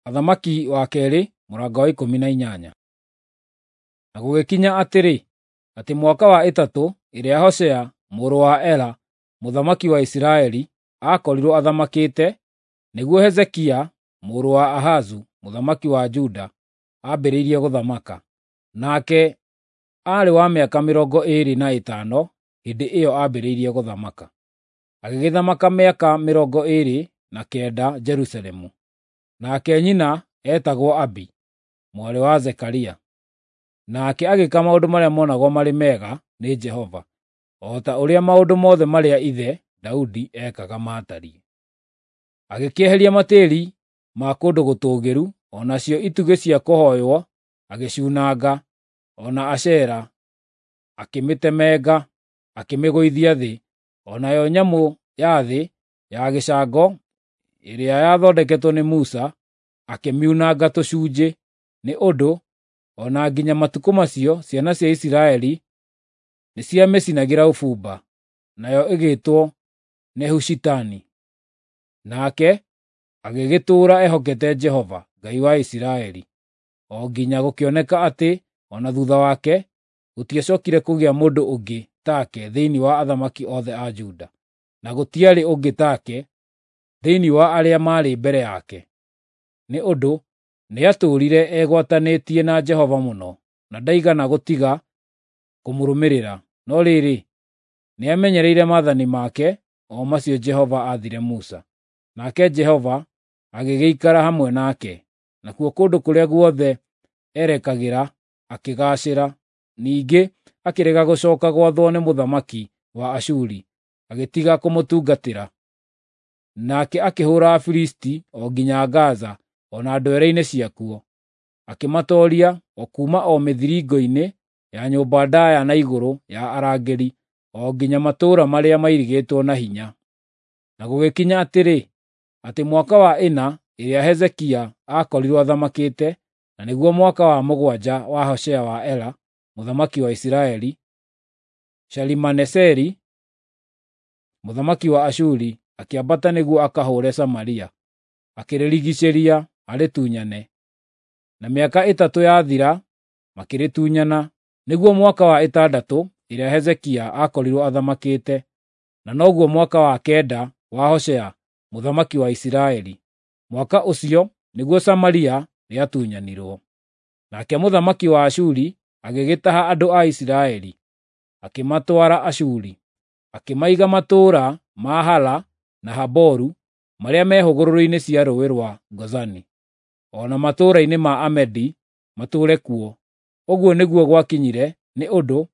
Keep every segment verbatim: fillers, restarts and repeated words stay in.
Athamaki wa keerĩ mũrango wa ikũmi na inyanya. Na gũgĩkinya atĩrĩ, atĩ mwaka wa ĩtatũ ĩrĩa Hoshea mũrũ wa Ela mũthamaki wa Isiraeli aakorirwo athamakĩte, nĩguo Hezekia mũrũ wa Ahazu mũthamaki wa Juda aambĩrĩirie gũthamaka. Nake aarĩ wa mĩaka mĩrongo ĩĩrĩ na ĩtano hĩndĩ ĩyo aambĩrĩirie gũthamaka. Agĩgĩthamaka mĩaka mĩrongo ĩĩrĩ na kenda Jerusalemu. Nake nyina eetagwo Abi, mwarĩ wa Zekaria. Nake agĩĩka maũndũ marĩa monagwo marĩ mega nĩ Jehova, o ta ũrĩa maũndũ mothe marĩa ithe Daudi ekaga maatariĩ. Agĩkĩeheria matĩĩri ma kũndũ gũtũũgĩru, o nacio itugĩ cia kũhooywo agĩciunanga, o na Ashera akĩmĩtemenga, akĩmĩgũithia thĩ, o nayo nyamũ ya thĩ ya gĩcango ĩrĩa yathondeketwo nĩ Musa akĩmiunanga tũcunjĩ, nĩ ũndũ o na nginya matukũ macio ciana cia Isiraeli nĩciamĩcinagĩra ũbumba, nayo ĩgĩtwo Nehushitani. Nake agĩgĩtũũra ehokete Jehova, Ngai wa Isiraeli, o nginya gũkĩoneka atĩ o na thuutha wake gũtiacokire kũgĩa mũndũ ũngĩ take thĩinĩ wa athamaki othe a Juda, na gũtiarĩ ũngĩ take thĩinĩ wa arĩa maarĩ mbere yake. Nĩ ũndũ nĩatũũrire egwatanĩtie na Jehova mũno, na ndaigana gũtiga kũmũrũmĩrĩra, no rĩrĩ, nĩamenyereire maathani make, o macio Jehova aathire Musa. Nake Jehova agĩgĩikara hamwe nake, nakuo kũndũ kũrĩa guothe erekagĩra akĩgaacĩra. Ningĩ akĩrega gũcooka gwathwo nĩ mũthamaki wa Ashuri, agĩtiga kũmũtungatĩra. Nake akĩhũũra Afilisti o nginya Gaza o na ndwere-inĩ ciakuo, akĩmatooria o kuuma o mĩthiringo-inĩ ya nyũmba ndaaya na igũrũ ya arangĩri o nginya matũũra marĩa mairigĩtwo na hinya. Na gũgĩkinya atĩrĩ, atĩ mwaka wa ĩna ĩrĩa Hezekia aakorirwo athamakĩte, na nĩguo mwaka wa mũgwanja wa Hoshea wa Ela mũthamaki wa Isiraeli, Shalimaneseri mũthamaki wa Ashuri akĩambata nĩguo akahũũre Samaria, akĩrĩrigiicĩria arĩtunyane. Na mĩaka ĩtatũ yathira makĩrĩtunyana, nĩguo mwaka wa ĩtandatũ ĩrĩa Hezekia aakorirwo athamakĩte, na noguo mwaka wa kenda wa Hoshea mũthamaki wa Isiraeli. Mwaka ũcio nĩguo Samaria rĩatunyanirwo. Nake mũthamaki wa Ashuri agĩgĩtaha andũ a Isiraeli, akĩmatwara Ashuri, akĩmaiga matũũra ma Hala na Haboru marĩa me hũgũrũrũ-inĩ cia rũũĩ rwa Gozani, o na matũũra-inĩ ma Amedi matũũre kuo. Ũguo nĩguo gwakinyire nĩ ũndũ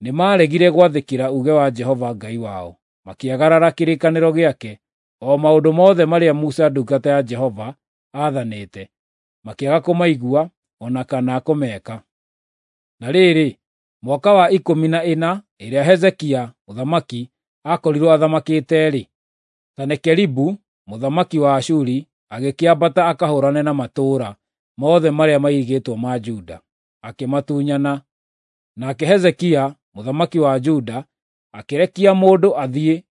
nĩmaregire gwathĩkĩra uuge wa Jehova Ngai wao, makĩagarara kĩrĩkanĩro gĩake, o maũndũ mothe marĩa Musa ndungata ya Jehova aathanĩte, makĩaga kũmaigua o na kana kũmeka. Na rĩrĩ, mwaka wa ikũmi na ĩna ĩrĩa Hezekia mũthamaki aakorirwo athamakĩte-rĩ, Senakeribu mũthamaki wa Ashuri agĩkĩambata akahũũrane na matũũra mothe marĩa mairigĩtwo ma Juda, akĩmatunyana. Nake Hezekia mũthamaki wa Juda akĩrekia mũndũ athiĩ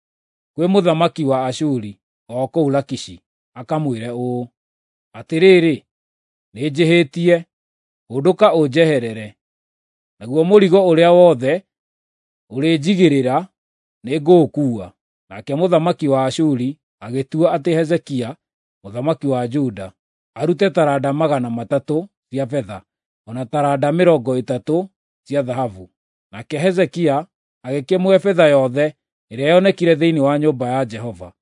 kwĩ mũthamaki wa Ashuri o kũu Lakishi, akamwĩre ũũ: “Atĩrĩrĩ, nĩnjĩhĩtie, hũndũka ũnjeherere, naguo mũrigo ũrĩa wothe ũrĩnjigĩrĩra nĩngũũkuua.” Nake mũthamaki wa Ashuri agĩtua atĩ Hezekia mũthamaki wa Juda arute taranda magana matatũ cia betha, o na taranda mĩrongo ĩtatũ cia thahabu. Nake Hezekia agĩkĩmũhe betha yothe ĩrĩa yonekire thĩinĩ wa nyũmba ya Jehova,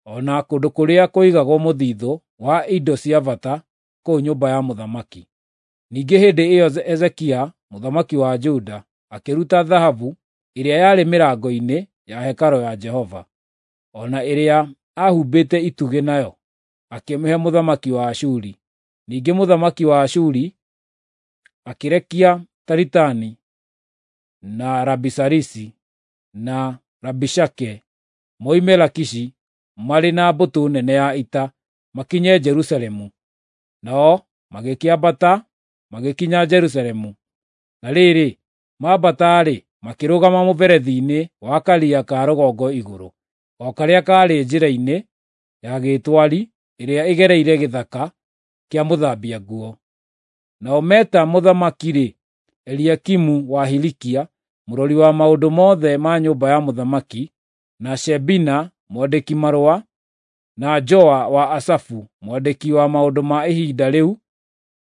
o na kũndũ kũrĩa kũigagwo mũthithũ wa indo cia bata kũu nyũmba ya mũthamaki. Ningĩ hĩndĩ ĩyo Hezekia mũthamaki wa Juda akĩruta thahabu ĩrĩa yarĩ mĩrango-inĩ ya hekarũ ya Jehova, o na ĩrĩa aahumbĩte itugĩ nayo, akĩmĩhe mũthamaki wa Ashuri. Ningĩ mũthamaki wa Ashuri akĩrekia Taritani na Rabisarisi na Rabishake moime Lakishi marĩ na mbũtũ nene ya ita makinye Jerusalemu. Nao magĩkĩambata magĩkinya Jerusalemu. Na rĩrĩ, maambata-rĩ, makĩrũgama mũberethi-inĩ wa karia ka rũgongo igũrũ, o karĩa kaarĩ njĩra-inĩ ya gĩtwari ĩrĩa ĩgereire gĩthaka kĩa mũthambia nguo. Nao meta mũthamaki-rĩ, Eliakimu wa Hilikia, mũrori wa maũndũ mothe ma nyũmba ya mũthamaki, na Shebina mwandĩki marũa, na Joa wa Asafu mwandĩki wa maũndũ ma ihinda rĩu,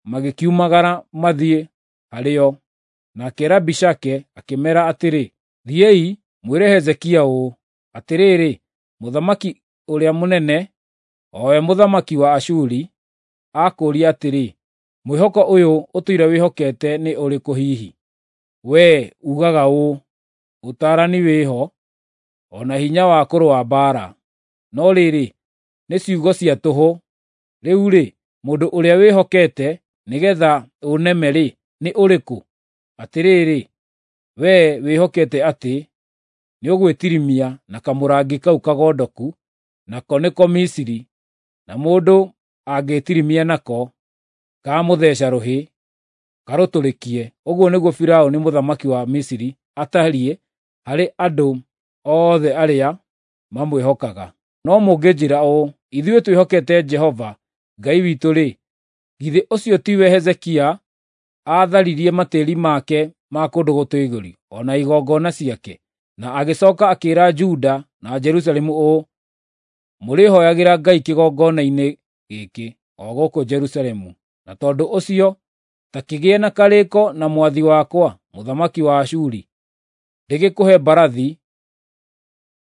magĩkiumagara mathiĩ harĩ o. Nake Rabishake akĩmeera atĩrĩ, “Thiĩi mwĩre Hezekia ũũ, 'Atĩrĩrĩ, mũthamaki ũrĩa mũnene, o we mũthamaki wa Ashuri, akũũria atĩrĩ, mwĩhoko ũyũ ũtũire wĩhokete nĩ ũrĩkũ hihi? Wee ugaga ũũ, ũtaarani wĩho, o na hinya wa kũrũa mbaara. No rĩrĩ, nĩ ciugo cia tũhũ. Rĩu-rĩ, mũndũ ũrĩa wĩhokete nĩgeetha ũneme-rĩ, nĩ ũrĩkũ? Atĩrĩrĩ, wee wĩhokete atĩ nĩũgwĩtirimia na kamũrangi kau kagondoku, nako nĩko Misiri, na mũndũ angĩĩtirimia nako, kamũtheeca rũhĩ, karũtũrĩkie. Ũguo nĩguo Firaũni mũthamaki wa Misiri atariĩ harĩ andũ othe arĩa mamwĩhokaga. No mũngĩnjĩĩra ũũ, ‘Ithuĩ twĩhokete Jehova Ngai witũ-rĩ, githĩ ũcio tiwe Hezekia aatharirie matĩĩri make ma kũndũ gũtũũgĩru o na igongona ciake, na agĩcooka akĩĩra Juda na Jerusalemu ũũ, “Mũrĩhooyagĩra Ngai kĩgongona-inĩ gĩkĩ, o gũkũ Jerusalemu.” Na tondũ ũcio ta kĩgĩe na karĩĩko na mwathi wakwa, mũthamaki wa Ashuri, ndĩgĩkũhe mbarathi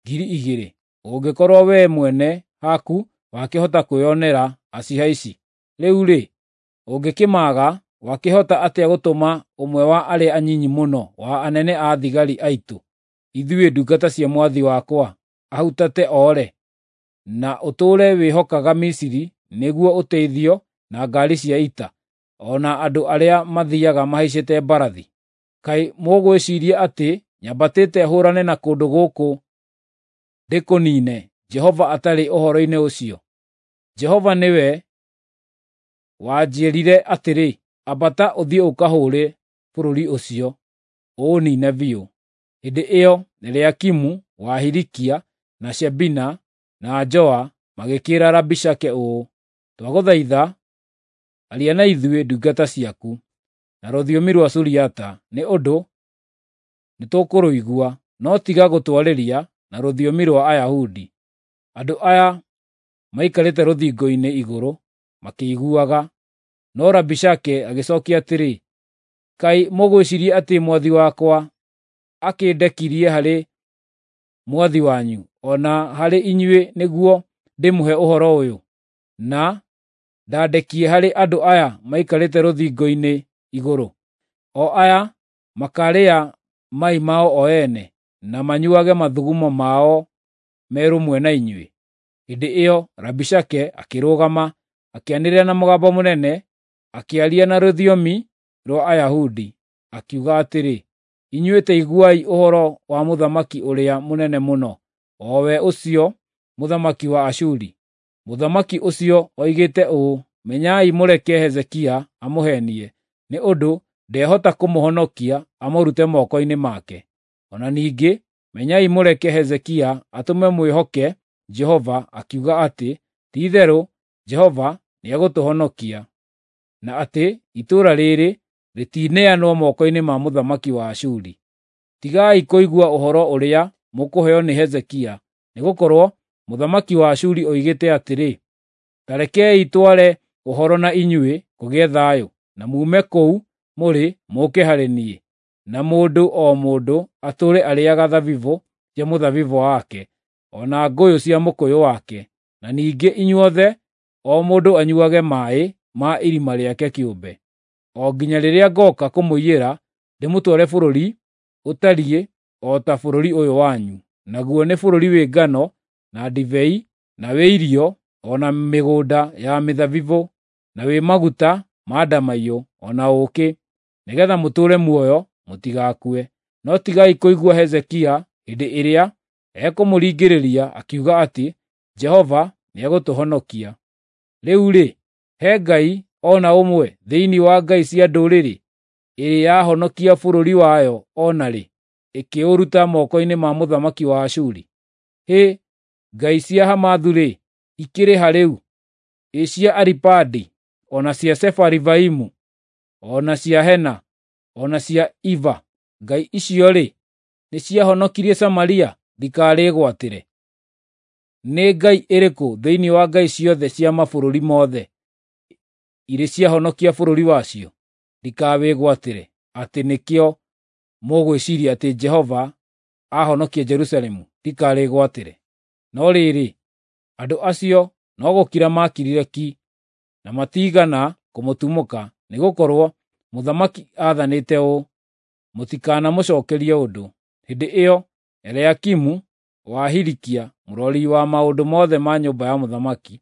ngiri igĩrĩ, ũngĩkorwo wee mwene haku wakĩhota kwĩonera acihaici. Rĩu-rĩ, ũngĩkĩmaaga, wakĩhota atĩa gũtũma ũmwe wa arĩa anyinyi mũno wa anene a thigari aitũ, ithuĩ ndungata cia mwathi wakwa, ahutate oore, na ũtũũre wĩhokaga Misiri nĩguo ũteithio na ngaari cia ita, o na andũ arĩa mathiiaga mahaicĩte mbarathi? Kaĩ mũgwĩciiria atĩ nyambatĩte hũũrane na kũndũ gũkũ ndĩkũniine, Jehova atarĩ ũhoro-inĩ ũcio? Jehova nĩwe wanjĩĩrire atĩrĩ, ‘Ambata ũthiĩ ũkahũũre bũrũri ũcio, ũũniine biũ.’ ” Hĩndĩ ĩyo Eliakimu wa Hilikia, na Shebina na Joa magĩkĩĩra Rabishake ũũ, “Twagũthaitha, aria na ithuĩ ndungata ciaku na rũthiomi rwa Suriata, nĩ ũndũ nĩtũkũrũigua, no tiga gũtwarĩria na rũthiomi rwa Ayahudi, andũ aya maikarĩte rũthingo-inĩ igũrũ makĩiguaga.” No Rabishake agĩcookia atĩrĩ, “Kaĩ mũgwĩciiria atĩ mwathi wakwa akĩndekirie harĩ mwathi wanyu o na harĩ inyuĩ nĩguo ndĩmũhe ũhoro ũyũ, na ndandekie harĩ andũ aya maikarĩte rũthingo-inĩ igũrũ, o aya makaarĩa mai mao o ene, na manyuuage mathugumo mao me rũmwe na inyuĩ?” Hĩndĩ ĩyo Rabishake akĩrũgama, akĩanĩrĩra na mũgambo mũnene, akĩaria na rũthiomi rwa Ayahudi, akiuga atĩrĩ, “Inyuĩ ta iguai ũhoro wa mũthamaki ũrĩa mũnene mũno, o we ũcio mũthamaki wa Ashuri. Mũthamaki ũcio oigĩte ũũ, ‘Menyai mũreke Hezekia amũheenie, nĩ ũndũ ndehota kũmũhonokia amũrute moko-inĩ make. O na ningĩ menyai mũreke Hezekia atũme mwĩhoke Jehova akiuga atĩ, “Ti-itherũ Jehova nĩegũtũhonokia, na atĩ itũũra rĩĩrĩ rĩtineanwo moko-inĩ ma mũthamaki wa Ashuri.” Tigai kũigua ũhoro ũrĩa mũkũheo nĩ Hezekia, nĩgũkorwo mũthamaki wa Ashuri oigĩte atĩrĩ, “Ta rekei tware ũhoro na inyuĩ kũgĩe thayũ, na muume kũu mũrĩ mũũke harĩ niĩ, na mũndũ o mũndũ atũũre arĩĩaga thabibũ cia mũthabibũ wake, o na ngũyũ cia mũkũyũ wake, na ningĩ inyuothe o mũndũ anyuuage maaĩ ma irima rĩake kĩũmbe, o nginya rĩrĩa ngooka kũmũiyĩra ndĩmũtware bũrũri ũtariĩ o ta bũrũri ũyũ wanyu, naguo nĩ bũrũri wĩ ngano na ndibei, na wĩ irio, o na mĩgũnda ya mĩthabibũ, na wĩ maguta ma ndamaiyũ, o na ũũkĩ, nĩgeetha mũtũũre muoyo mũtigakue. No tigai kũigua Hezekia hĩndĩ ĩrĩa ekũmũringĩrĩria akiuga atĩ, ‘Jehova nĩegũtũhonokia.’ Rĩu-rĩ, he ngai o na ũmwe thĩinĩ wa ngai cia ndũrĩrĩ ĩrĩ yahonokia bũrũri wayo o na rĩ, ĩkĩũruta moko-inĩ ma mũthamaki wa Ashuri? Hĩ, ngai cia Hamathu-rĩ, ikĩrĩ ha rĩu? Ĩ cia Aripadi o na cia Sefarivaimu, o na cia Hena, o na cia Iva, ngai icio-rĩ, nĩciahonokirie Samaria ndikarĩgwatĩre? Nĩ ngai ĩrĩkũ thĩinĩ wa ngai ciothe cia mabũrũri mothe irĩ ciahonokia bũrũri wacio ndikawĩgwatĩre, atĩ nĩkĩo mũgwĩciiria atĩ Jehova ahonokia Jerusalemu ndikarĩgwatĩre? No rĩrĩ, andũ acio no gũkira maakirire ki, na matiigana kũmũtumũka, nĩgũkorwo mũthamaki aathanĩte ũũ, “Mũtikanamũcookerie ũndũ.” Hĩndĩ ĩyo Eliakimu wa Hilikia, mũrori wa maũndũ mothe ma nyũmba ya mũthamaki,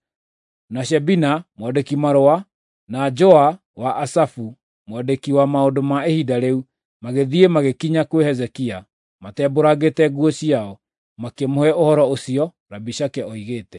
na Shebina mwandĩki-marũa, na Joa wa Asafu mwandĩki wa maũndũ ma ihinda rĩu, magĩthiĩ magĩkinya kwĩ Hezekia matembũrangĩte nguo ciao, makĩmũhe ũhoro ũcio Rabishake oigĩte.